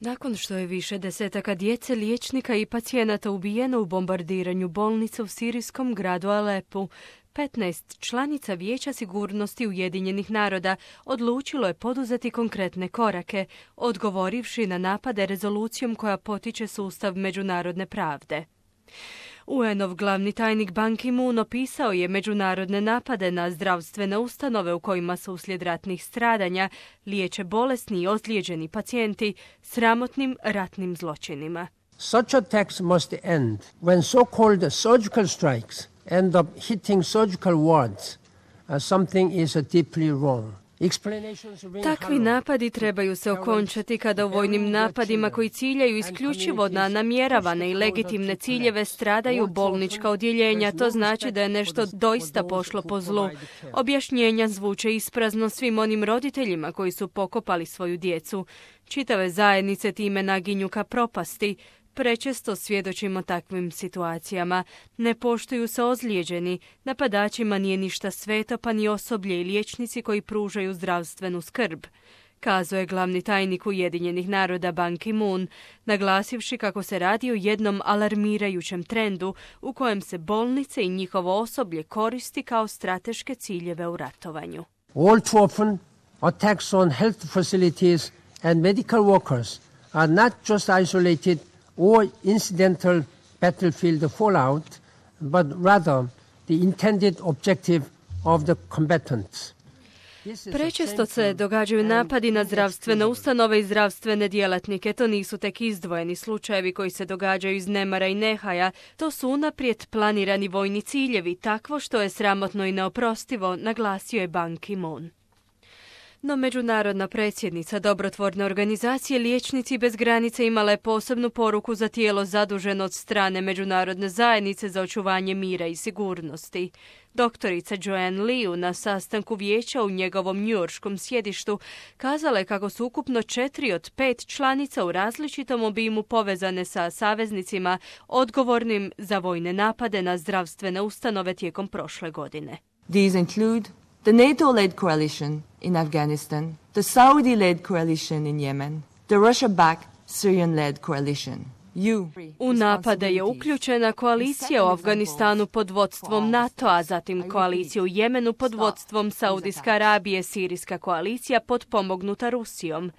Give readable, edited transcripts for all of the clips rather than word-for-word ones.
Nakon što je više desetaka djece, liječnika i pacijenata ubijeno u bombardiranju bolnice u sirijskom gradu Alepu, 15 članica Vijeća sigurnosti Ujedinjenih naroda odlučilo je poduzeti konkretne korake, odgovorivši na napade rezolucijom koja potiče sustav međunarodne pravde. UN-ov glavni tajnik Ban Ki-moon opisao je međunarodne napade na zdravstvene ustanove u kojima se uslijed ratnih stradanja liječe bolesni i ozlijeđeni pacijenti sramotnim ratnim zločinima. Such attacks must end. When so-called surgical strikes end up hitting surgical wards, something is deeply wrong. Takvi napadi trebaju se okončati kada u vojnim napadima koji ciljaju isključivo na namjeravane i legitimne ciljeve stradaju bolnička odjeljenja. To znači da je nešto doista pošlo po zlu. Objašnjenja zvuče isprazno svim onim roditeljima koji su pokopali svoju djecu. Čitave zajednice time naginju ka propasti. Prečesto svjedočimo takvim situacijama. Ne poštuju se ozlijeđeni, napadačima nije ništa sveto, pa ni osoblje i liječnici koji pružaju zdravstvenu skrb, kazao je glavni tajnik Ujedinjenih naroda Ban Ki-moon, naglasivši kako se radi o jednom alarmirajućem trendu u kojem se bolnice i njihovo osoblje koristi kao strateške ciljeve u ratovanju. All too often, attacks on health facilities and medical workers are not just isolated or incidental battlefield fallout, but rather the intended objective of the combatants. Prečesto se događaju napadi na zdravstvene ustanove i zdravstvene djelatnike. To nisu tek izdvojeni slučajevi koji se događaju iz nemara i nehaja. To su unaprijed planirani vojni ciljevi, takvo što je sramotno i neoprostivo, naglasio je Ban Ki-moon. No međunarodna predsjednica dobrotvorne organizacije Liječnici bez granice imala je posebnu poruku za tijelo zaduženo od strane međunarodne zajednice za očuvanje mira i sigurnosti. Doktorica Joanne Liu na sastanku vijeća u njegovom njujorškom sjedištu kazala je kako su ukupno 4 od 5 članica u različitom obimu povezane sa saveznicima odgovornim za vojne napade na zdravstvene ustanove tijekom prošle godine. These include the NATO-led coalition in Afghanistan, the Saudi-led coalition in Yemen, the Russia-backed Syrian-led coalition. U napade je uključena koalicija u Afganistanu pod vodstvom NATO-a, zatim koalicija u Jemenu pod vodstvom Saudijske Arabije, sirijska koalicija potpomognuta Rusijom.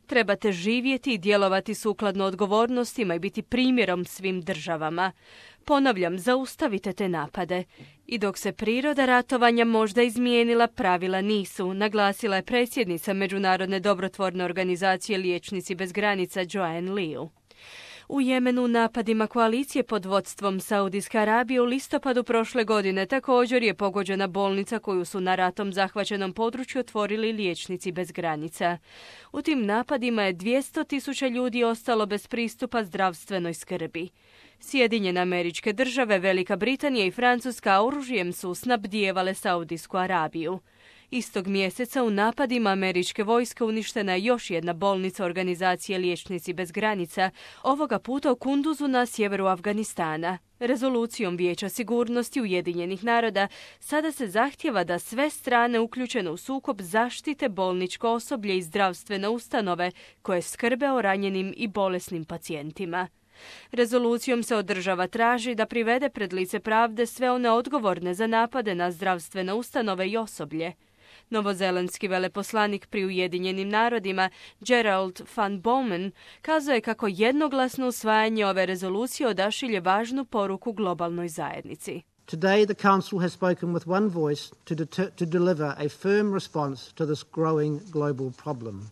Trebate živjeti i djelovati sukladno odgovornostima i biti primjerom svim državama. Ponavljam, zaustavite te napade. I dok se priroda ratovanja možda izmijenila, pravila nisu, naglasila je predsjednica Međunarodne dobrotvorne organizacije Liječnici bez granica Joanne Liu. U Jemenu napadima koalicije pod vodstvom Saudijske Arabije u listopadu prošle godine također je pogođena bolnica koju su na ratom zahvaćenom području otvorili Liječnici bez granica. U tim napadima je 200.000 ljudi ostalo bez pristupa zdravstvenoj skrbi. Sjedinjene Američke Države, Velika Britanija i Francuska oružjem su snabdijevale Saudijsku Arabiju. Istog mjeseca u napadima američke vojske uništena je još jedna bolnica organizacije Liječnici bez granica, ovoga puta u Kunduzu na sjeveru Afganistana. Rezolucijom Vijeća sigurnosti Ujedinjenih naroda sada se zahtijeva da sve strane uključene u sukob zaštite bolničko osoblje i zdravstvene ustanove koje skrbe o ranjenim i bolesnim pacijentima. Rezolucijom se od država traži da privede pred lice pravde sve one odgovorne za napade na zdravstvene ustanove i osoblje. Novozelandski veleposlanik pri Ujedinjenim narodima Gerald van Bomen kazao je kako jednoglasno usvajanje ove rezolucije odašilje važnu poruku globalnoj zajednici. Today the Council has spoken with one voice to deliver a firm response to this growing global problem.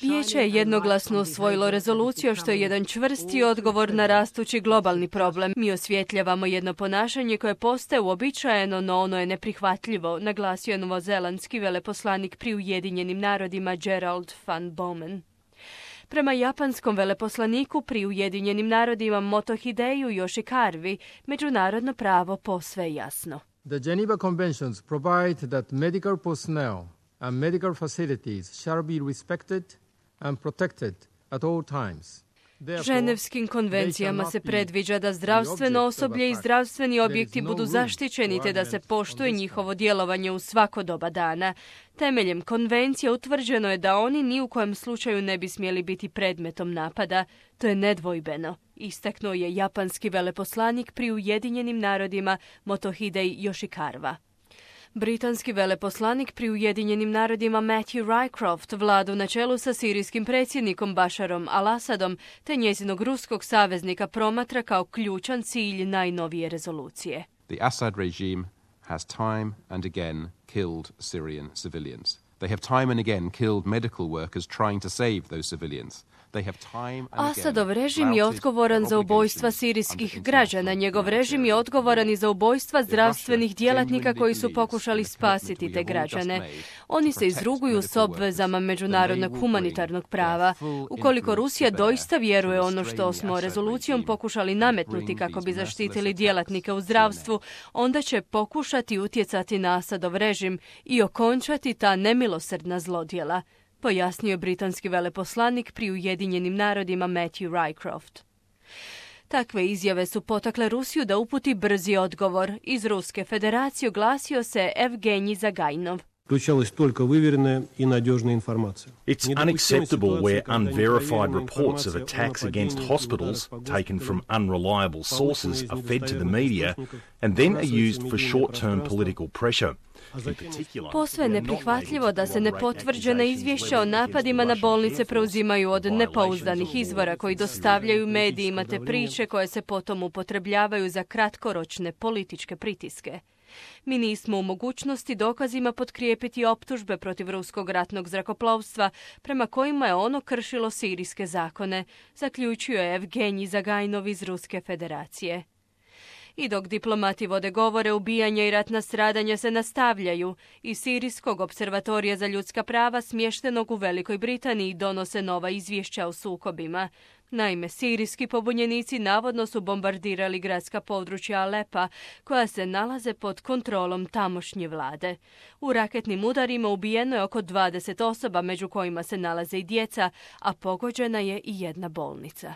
Vijeće je jednoglasno usvojilo rezoluciju što je jedan čvrsti odgovor na rastući globalni problem. Mi osvjetljavamo jedno ponašanje koje postaje uobičajeno, no ono je neprihvatljivo, naglasio je novozelandski veleposlanik pri Ujedinjenim narodima Gerald van Bomen. Prema japanskom veleposlaniku pri Ujedinjenim narodima Motohideju Yoshikaru, međunarodno pravo posve je jasno. The Geneva Conventions provide that medical personnel and medical facilities shall be respected and protected at all times. Ženevskim konvencijama se predviđa da zdravstveno osoblje i zdravstveni objekti budu zaštićeni te da se poštuje njihovo djelovanje u svako doba dana. Temeljem konvencije utvrđeno je da oni ni u kojem slučaju ne bi smjeli biti predmetom napada. To je nedvojbeno, istaknuo je japanski veleposlanik pri Ujedinjenim narodima Motohidei Yoshikawa. Britanski veleposlanik pri Ujedinjenim narodima Matthew Rycroft vladu na čelu sa sirijskim predsjednikom Basharom al-Assadom te njezinog ruskog saveznika promatra kao ključan cilj najnovije rezolucije. The Assad regime has time and again killed Syrian civilians. They have time and again killed medical workers trying to save those civilians. Asadov režim je odgovoran za ubojstva sirijskih građana. Njegov režim je odgovoran i za ubojstva zdravstvenih djelatnika koji su pokušali spasiti te građane. Oni se izruguju s obvezama međunarodnog humanitarnog prava. Ukoliko Rusija doista vjeruje ono što smo rezolucijom pokušali nametnuti kako bi zaštitili djelatnike u zdravstvu, onda će pokušati utjecati na Asadov režim i okončati ta nemilosrdna zlodjela, pojasnio britanski veleposlanik pri Ujedinjenim narodima Matthew Rycroft. Takve izjave su potakle Rusiju da uputi brzi odgovor. Iz Ruske federacije oglasio se Evgenij Zagajnov. It's unacceptable where unverified reports of attacks against hospitals taken from unreliable sources are fed to the media and then are used for short-term political pressure. Posve je neprihvatljivo da se nepotvrđena izvješća o napadima na bolnice preuzimaju od nepouzdanih izvora koji dostavljaju medijima te priče koje se potom upotrebljavaju za kratkoročne političke pritiske. Mi nismo u mogućnosti dokazima potkrijepiti optužbe protiv ruskog ratnog zrakoplovstva prema kojima je ono kršilo sirijske zakone, zaključio je Evgenij Zagajnov iz Ruske federacije. I dok diplomati vode govore, ubijanja i ratna stradanja se nastavljaju. Iz Sirijskog observatorija za ljudska prava smještenog u Velikoj Britaniji donose nova izvješća o sukobima. Naime, sirijski pobunjenici navodno su bombardirali gradska područja Alepa, koja se nalaze pod kontrolom tamošnje vlade. U raketnim udarima ubijeno je oko 20 osoba, među kojima se nalaze i djeca, a pogođena je i jedna bolnica.